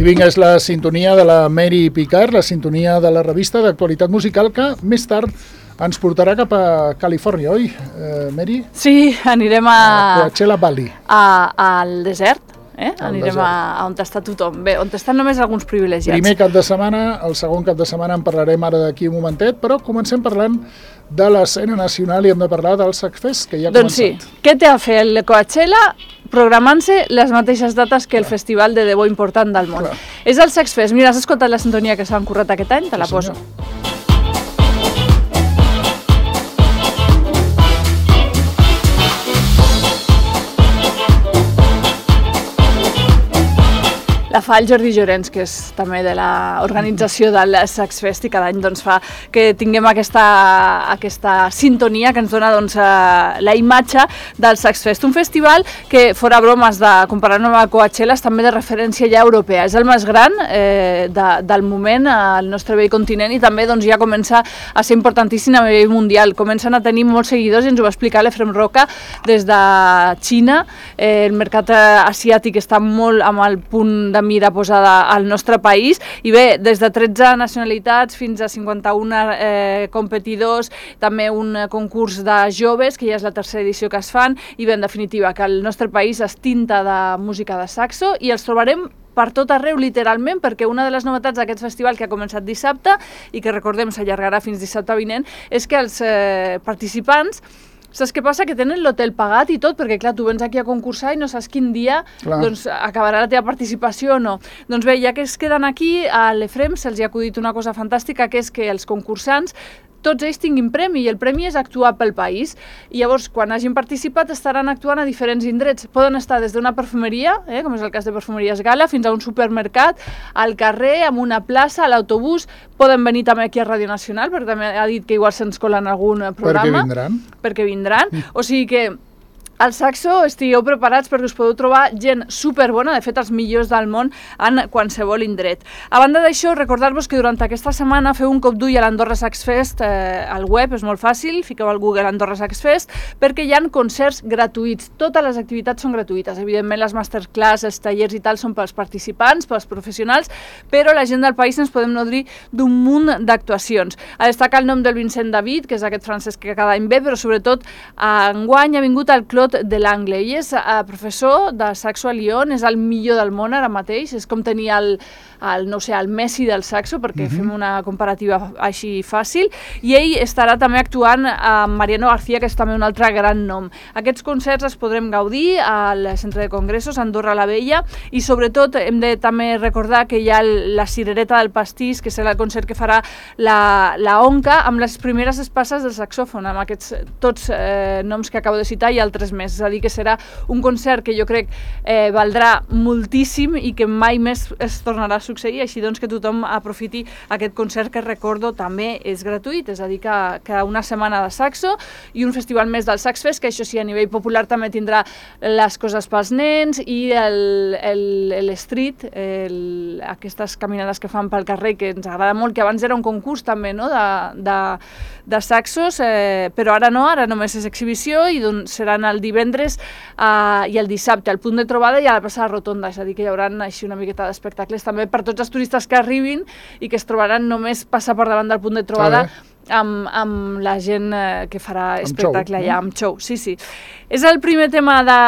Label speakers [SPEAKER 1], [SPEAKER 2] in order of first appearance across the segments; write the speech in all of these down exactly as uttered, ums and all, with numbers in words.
[SPEAKER 1] vinga, és la sintonia de la Mary Picard, la sintonia de la revista d'actualitat musical que més tard ens portarà cap a Califòrnia, oi, eh, Mary?
[SPEAKER 2] Sí, anirem a...
[SPEAKER 1] A Coachella Valley.
[SPEAKER 2] A, al desert. Eh?
[SPEAKER 1] Al
[SPEAKER 2] Anirem
[SPEAKER 1] desert.
[SPEAKER 2] a, a on està tothom. Bé, on estan només alguns privilegiats.
[SPEAKER 1] Primer cap de setmana, el segon cap de setmana en parlarem ara d'aquí un momentet, però comencem parlant de l'escena nacional i hem de parlar del Saxfest, que ja ha
[SPEAKER 2] doncs
[SPEAKER 1] començat.
[SPEAKER 2] Sí, què té a fer el Coachella programant-se les mateixes dates que el Clar. Festival de debò important del món. Clar. És el Saxfest. Mira, has escoltat la sintonia que s'han currat aquest any? Te la sí, poso. Senyor. La fa el Jordi Llorenç, que és també de l'organització del Saxfest i cada any doncs, fa que tinguem aquesta, aquesta sintonia que ens dona doncs, la imatge del Saxfest. Un festival que, fora bromes de comparar-nos amb Coachella, és també de referència ja europea. És el més gran eh, de, del moment al nostre vell continent i també doncs, ja comença a ser importantíssim a nivell mundial. Comencen a tenir molts seguidors i ens ho va explicar l'Efrem Roca des de Xina. Eh, el mercat asiàtic està molt amb el punt de mira posada al nostre país i bé, des de tretze nacionalitats fins a cinquanta-un eh, competidors, també un concurs de joves, que ja és la tercera edició que es fan, i bé, en definitiva, que el nostre país es tinta de música de saxo i els trobarem per tot arreu, literalment, perquè una de les novetats d'aquest festival que ha començat dissabte i que recordem s'allargarà fins dissabte vinent és que els eh, participants saps què passa? Que tenen l'hotel pagat i tot, perquè clar, tu vens aquí a concursar i no saps quin dia doncs, acabarà la teva participació o no. Doncs bé, ja que es queden aquí, a l'Efrem se'ls ha acudit una cosa fantàstica, que és que els concursants tots ells tinguin premi, i el premi és actuar pel país. I llavors, quan hagin participat, estaran actuant a diferents indrets. Poden estar des d'una perfumeria, eh, com és el cas de Perfumeries Gala, fins a un supermercat, al carrer, en una plaça, a l'autobús. Poden venir també aquí a Ràdio Nacional, perquè també ha dit que igual se'ns cola en algun programa.
[SPEAKER 1] Perquè vindran.
[SPEAKER 2] Perquè vindran. Mm. O sigui que al Saxo estigueu preparats perquè us podeu trobar gent superbona, de fet els millors del món en qualsevol indret. A banda d'això, recordar-vos que durant aquesta setmana feu un cop d'ull a l'Andorra Saxfest eh, al web, és molt fàcil, fiqueu al Google Andorra Saxfest, perquè hi ha concerts gratuïts, totes les activitats són gratuïtes, evidentment les masterclass, els tallers i tal són pels participants, pels professionals, però la gent del país ens podem nodrir d'un munt d'actuacions. A destacar el nom del Vincent David, que és aquest francès que cada any ve, però sobretot enguany ha vingut al Clot de l'Angle. Ell és uh, professor de saxo a Lyon, és el millor del món ara mateix, és com tenir el, el, no sé, el Messi del saxo, perquè uh-huh. fem una comparativa així fàcil, i ell estarà també actuant amb Mariano García, que és també un altre gran nom. Aquests concerts els podrem gaudir al Centre de Congressos, Andorra la Vella, i sobretot hem de també recordar que hi ha la Cirereta del Pastís, que serà el concert que farà la, la Onca, amb les primeres espasses del saxòfon, amb aquests tots eh, noms que acabo de citar i altres més. És a dir, que serà un concert que jo crec eh, valdrà moltíssim i que mai més es tornarà a succeir, així doncs que tothom aprofiti aquest concert que recordo també és gratuït, és a dir, que, que una setmana de saxo i un festival més del Saxfest, que això sí, a nivell popular també tindrà les coses pels nens i l'street, aquestes caminades que fan pel carrer, que ens agrada molt, que abans era un concurs també, no?, de, de, de saxos, eh, però ara no, ara només és exhibició i doncs seran el divendres uh, i el dissabte al punt de trobada i a la plaça de Rotonda, és a dir, que hi haurà així una miqueta d'espectacles també per tots els turistes que arribin i que es trobaran només passar per davant del punt de trobada amb, amb la gent eh, que farà espectacle
[SPEAKER 1] amb show,
[SPEAKER 2] allà, amb show. Sí, sí. És el primer tema de,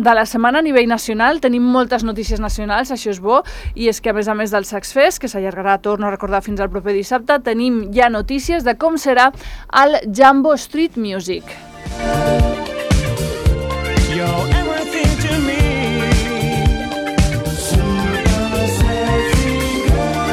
[SPEAKER 2] de la setmana a nivell nacional, tenim moltes notícies nacionals, això és bo, i és que a més a més del Saxfest, que s'allargarà, torno a recordar, fins al proper dissabte, tenim ja notícies de com serà el Jambo Street Music.
[SPEAKER 3] You're everything to me. Super sexy girl.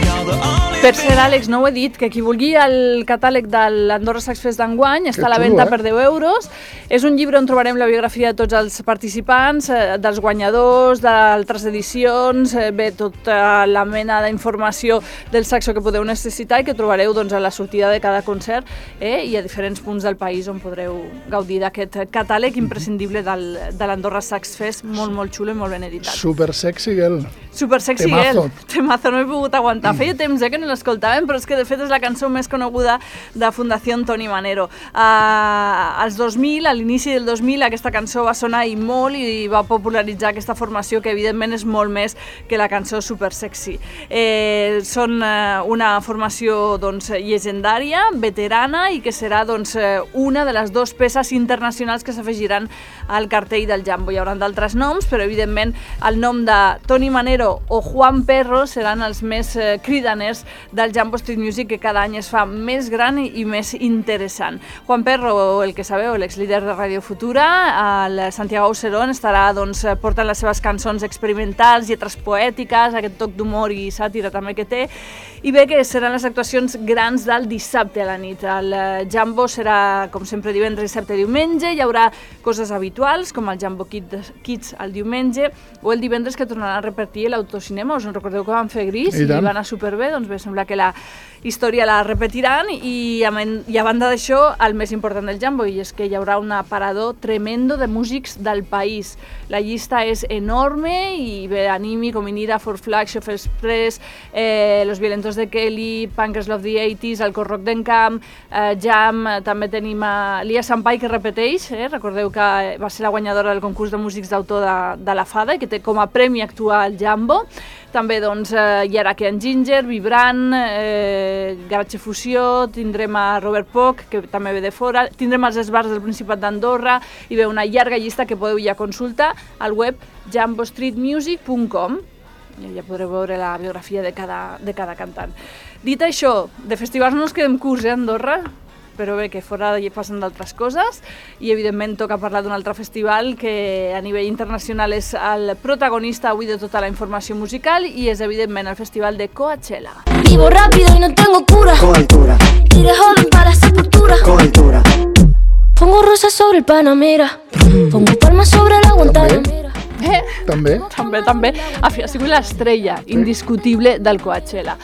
[SPEAKER 3] You're the only
[SPEAKER 2] Per cert, Àlex, no ho he dit, que qui vulgui el catàleg de l'Andorra Saxfest d'enguany està a la venda per deu euros. És un llibre on trobarem la biografia de tots els participants, eh, dels guanyadors, d'altres edicions, eh, bé, tota la mena d'informació del saxo que podeu necessitar i que trobareu doncs, a la sortida de cada concert eh, i a diferents punts del país on podreu gaudir d'aquest catàleg imprescindible del, de l'Andorra Saxfest, molt, molt xulo i molt ben editat.
[SPEAKER 1] Super sexy girl.
[SPEAKER 2] Super sexy
[SPEAKER 1] Temazo.
[SPEAKER 2] girl. Temazo, no he pogut aguantar. Feia temps eh, que no l'escoltàvem, però és que de fet és la cançó més coneguda de Fundació Toni Manero. Uh, als dos mil, a l'inici del dos mil, aquesta cançó va sonar i molt i va popularitzar aquesta formació que evidentment és molt més que la cançó super sexy. Eh, són uh, una formació doncs, llegendària, veterana i que serà doncs, una de les dues peces internacionals que s'afegiran al cartell del Jambo. Hi haurà d'altres noms, però evidentment el nom de Toni Manero o Juan Perro seran els més eh, cridaners del Jambo Street Music, que cada any es fa més gran i, i més interessant. Juan Perro, el que sabeu, l'exlíder de Radio Futura, el Santiago Auserón estarà doncs, portant les seves cançons experimentals, lletres poètiques, aquest toc d'humor i sàtira també que té, i bé que seran les actuacions grans del dissabte a la nit. El Jambo serà, com sempre, divendres, dissabte i diumenge, hi haurà coses habituals, com el Jambo Kids el diumenge, o el divendres que tornarà a repetir l'autocinema. Us en recordeu que van fer Gris i, i va anar superbé? Doncs bé, sembla que la història la repetiran i a, i a banda d'això, el més important del Jambo, i és que hi haurà un aparador tremendo de músics del país. La llista és enorme i bé, Animi, Cominira, Four Flags, Chef Express, eh, Los Violentos de Kelly, Punkers Love the eighties, el Corroc d'Encamp, eh, Jam, també tenim a Lia Sampai, que repeteix, eh? Recordeu que va ser la guanyadora del concurs de músics d'autor de, de la Fada i que té com a premi actuar al Jambo. També doncs, eh, hi haurà Ken Ginger, Vibrant, eh, Garatge Fusió, tindrem a Robert Poch, que també ve de fora, tindrem els esbars del Principat d'Andorra i ve una llarga llista que podeu ja consultar al web jambo street music punt com. I ja podreu veure la biografia de cada, de cada cantant. Dit això, de festivals no ens quedem curts, eh, a Andorra, però bé, que fora hi passen d'altres coses i evidentment toca parlar d'un altre festival que a nivell internacional és el protagonista avui de tota la informació musical i és evidentment el festival de Coachella.
[SPEAKER 4] Vivo rápido y no tengo cura.
[SPEAKER 5] Con altura,
[SPEAKER 4] Iré joven para la sepultura.
[SPEAKER 5] con altura.
[SPEAKER 4] Pongo rosas sobre el Panamera. Pongo palmas sobre la Guantanamera.
[SPEAKER 2] Eh?
[SPEAKER 1] També?
[SPEAKER 2] També, també. Ha sigut l'estrella indiscutible del Coachella.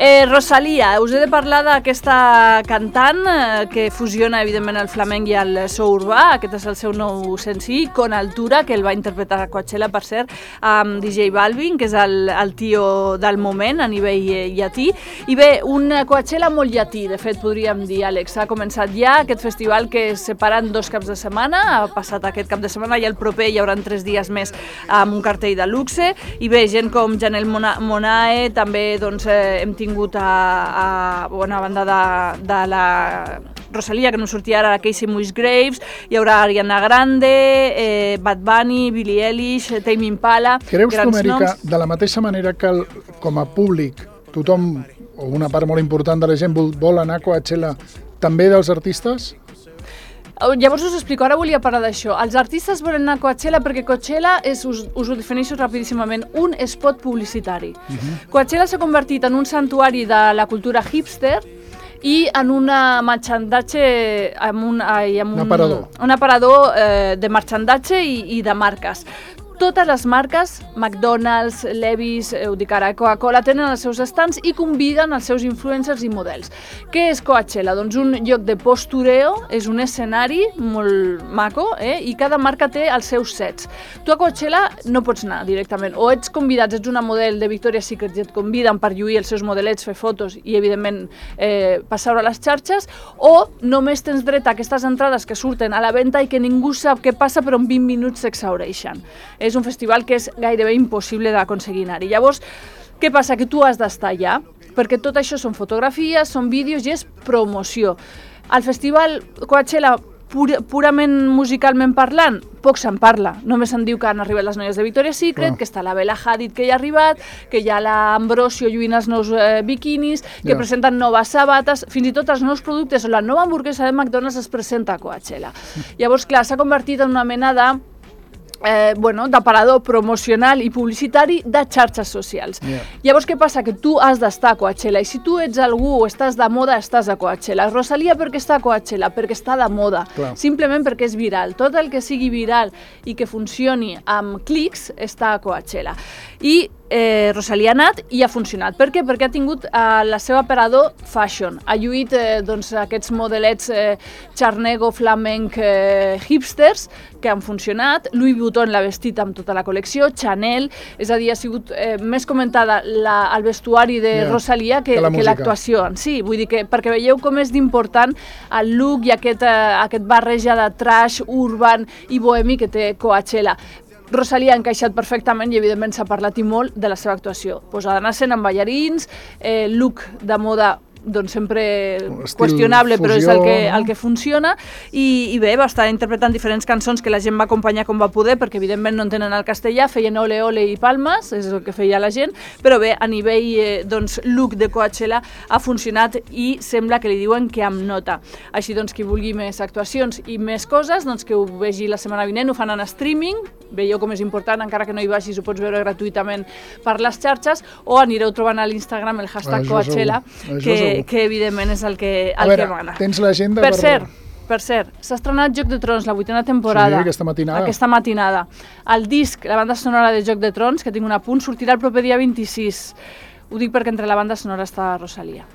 [SPEAKER 2] Eh, Rosalía, us he de parlar d'aquesta cantant eh, que fusiona evidentment el flamenc i el so urbà. Aquest és el seu nou senzill, Con Altura, que el va interpretar a Coachella, per cert, amb D J Balvin, que és el, el tio del moment a nivell eh, llatí. I bé, un Coachella molt llatí, de fet, podríem dir, Àlex. Ha començat ja aquest festival que es separa en dos caps de setmana. Ha passat aquest cap de setmana i el proper hi haurà tres dies més amb un cartell de luxe. I bé, gent com Janelle Mona Monae, també doncs, eh, hem tingut a, a bona banda de, de la Rosalía, que no sortia ara, Casey Musgraves, hi haurà Ariana Grande, eh, Bad Bunny, Billie Eilish, Tame Impala,
[SPEAKER 1] Creus tu,
[SPEAKER 2] grans
[SPEAKER 1] Amèrica,
[SPEAKER 2] noms.
[SPEAKER 1] de la mateixa manera que el, com a públic tothom, o una part molt important de la gent vol, vol anar a Coachella, també dels artistes?
[SPEAKER 2] Llavors us explico, ara volia parlar d'això. Els artistes volen anar a Coachella perquè Coachella és, us, us ho defineixo rapidíssimament, un spot publicitari. Uh-huh. Coachella s'ha convertit en un santuari de la cultura hipster i en una marxandatge, amb un, ai, amb un,
[SPEAKER 1] un aparador,
[SPEAKER 2] un aparador eh, de marxandatge i, i de marques. Totes les marques, McDonald's, Levi's, ho dic ara, Coca-Cola, tenen els seus stands i conviden els seus influencers i models. Què és Coachella? Doncs un lloc de postureo, és un escenari molt maco, eh? I cada marca té els seus sets. Tu a Coachella no pots anar directament, o ets convidat, ets una model de Victoria's Secret i et conviden per lluir els seus modelets, fer fotos i, evidentment, eh, passar-ho a les xarxes, o només tens dret a aquestes entrades que surten a la venda i que ningú sap què passa, però en vint minuts s'exhaureixen. És un festival que és gairebé impossible d'aconseguir anar-hi. Llavors, què passa? Que tu has d'estar allà, perquè tot això són fotografies, són vídeos i és promoció. Al festival Coachella, pur, purament musicalment parlant, poc se'n parla. Només se'n diu que han arribat les noies de Victoria's Secret, oh. que està la Bella Hadid que hi ha arribat, que hi ha l'Ambrosio lluint els nous eh, biquinis, que yeah. presenten noves sabates, fins i tot els nous productes o la nova hamburguesa de McDonald's es presenta a Coachella. Llavors, clar, s'ha convertit en una mena de Eh, bueno, d'aparador promocional i publicitari de xarxes socials. Yeah. Llavors, què passa? Que tu has d'estar a Coachella, i si tu ets algú o estàs de moda, estàs a Coachella. Rosalía, per què està a Coachella? Perquè està de moda, clar. Simplement perquè és viral. Tot el que sigui viral i que funcioni amb clics està a Coachella. I eh, Rosalía ha anat i ha funcionat. Per què? Perquè ha tingut eh, la seva aparador fashion. Ha lluït eh, doncs, aquests modelets eh, xarnego, flamenc, eh, hipsters, que han funcionat. Louis Vuitton l'ha vestit amb tota la col·lecció, Chanel, és a dir, ha sigut eh, més comentada la, el vestuari de
[SPEAKER 1] yeah,
[SPEAKER 2] Rosalía que, que l'actuació en si. Vull dir que, perquè veieu com és d'important el look i aquest, eh, aquest barreja de trash, urban i bohemi que té Coachella. Rosalía ha encaixat perfectament i evidentment s'ha parlat i molt de la seva actuació. Posada en escena amb ballarins, eh, look de moda doncs sempre qüestionable, fusió, però és el que, no? el que funciona, i, i bé, va estar interpretant diferents cançons que la gent va acompanyar com va poder, perquè evidentment no entenen el castellà, feien ole ole i palmes, és el que feia la gent, però bé, a nivell eh, doncs, look de Coachella ha funcionat i sembla que li diuen que amb nota. Així doncs, qui vulgui més actuacions i més coses, doncs que ho vegi la setmana vinent, ho fan en streaming, veieu com és important, encara que no hi vagis, ho pots veure gratuïtament per les xarxes, o anireu trobant a l'Instagram el hashtag Coachella, que que evidentment és el que, el
[SPEAKER 1] veure,
[SPEAKER 2] que mana.
[SPEAKER 1] Tens l'agenda
[SPEAKER 2] per...
[SPEAKER 1] Per
[SPEAKER 2] cert, per cert, s'ha estrenat Joc de Trons, la vuitena temporada.
[SPEAKER 1] Sí, aquesta matinada.
[SPEAKER 2] Aquesta matinada. El disc, la banda sonora de Joc de Trons, que tinc un apunt, sortirà el proper dia vint-i-sis. Ho dic perquè entre la banda sonora està Rosalía.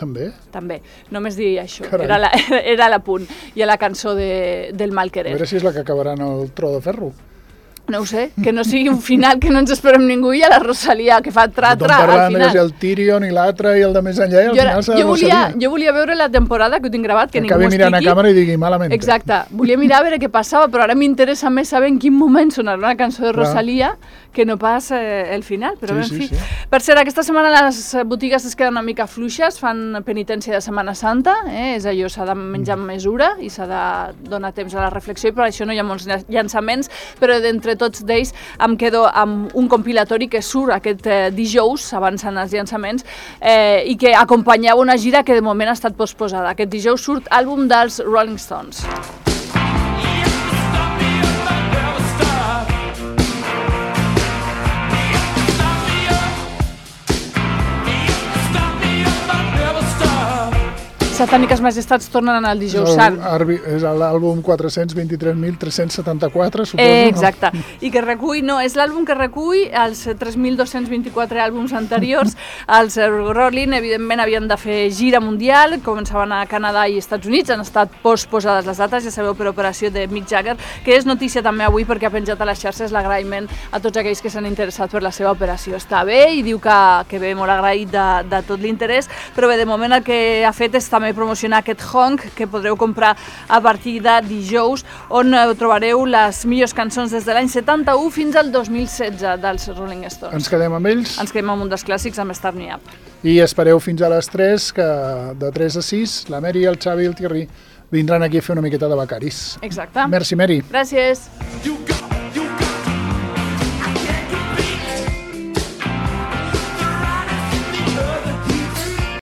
[SPEAKER 1] També?
[SPEAKER 2] També. Només dir això.
[SPEAKER 1] Carai.
[SPEAKER 2] Era la, era l'apunt. I a la cançó de, del Mal Querer.
[SPEAKER 1] A veure si és la que acabarà en el tro de ferro.
[SPEAKER 2] No ho sé, que no sigui un final que no ens esperem ningú i a la Rosalía, que fa tra-tra al final.
[SPEAKER 1] Tothom el Tyrion i l'altre i el de més enllà i al
[SPEAKER 2] jo,
[SPEAKER 1] final serà
[SPEAKER 2] jo volia,
[SPEAKER 1] Rosalía.
[SPEAKER 2] jo volia veure la temporada que ho tinc gravat, que, que ningú
[SPEAKER 1] acabi
[SPEAKER 2] m'ho
[SPEAKER 1] mirant
[SPEAKER 2] expliqui.
[SPEAKER 1] a càmera i digui malament.
[SPEAKER 2] Exacte, volia mirar a veure què passava, però ara m'interessa més saber en quin moment sonarà una cançó de Rosalía que no pas eh, el final, però
[SPEAKER 1] sí,
[SPEAKER 2] en fi.
[SPEAKER 1] Sí, sí.
[SPEAKER 2] Per cert, aquesta setmana les botigues es queden una mica fluixes, fan penitència de Setmana Santa, eh? És allò, s'ha de menjar amb mesura i s'ha de donar temps a la reflexió i per això no hi ha molts llançaments, però d'entre tots d'ells em quedo amb un compilatori que surt aquest eh, dijous, avançant els llançaments, eh, i que acompanyava una gira que de moment ha estat posposada. Aquest dijous surt àlbum dels Rolling Stones. Satàniques Majestats tornen al dijous sant.
[SPEAKER 1] És l'àlbum quatre-cents vint-i-tres mil tres-cents setanta-quatre, suposo.
[SPEAKER 2] Eh, exacte. No? I que recull, no, és l'àlbum que recull els tres mil dos-cents vint-i-quatre àlbums anteriors. Els Rolling, evidentment, havien de fer gira mundial, començaven a Canadà i Estats Units, han estat posposades les dates, ja sabeu, per operació de Mick Jagger, que és notícia també avui perquè ha penjat a les xarxes l'agraïment a tots aquells que s'han interessat per la seva operació. Està bé i diu que, que ve molt agraït de, de tot l'interès, però bé, de moment el que ha fet és també promocionar aquest honk que podreu comprar a partir de dijous, on trobareu les millors cançons des de l'any setanta-u fins al dos mil setze dels Rolling Stones.
[SPEAKER 1] Ens quedem amb ells?
[SPEAKER 2] Ens quedem amb un dels clàssics, amb Start Me Up.
[SPEAKER 1] I espereu fins a les tres, que de tres a sis la Mary, el Xavi i el Thierry vindran aquí a fer una miqueta de becaris.
[SPEAKER 2] Exacte.
[SPEAKER 1] Merci, Mary.
[SPEAKER 2] Gràcies.
[SPEAKER 3] You got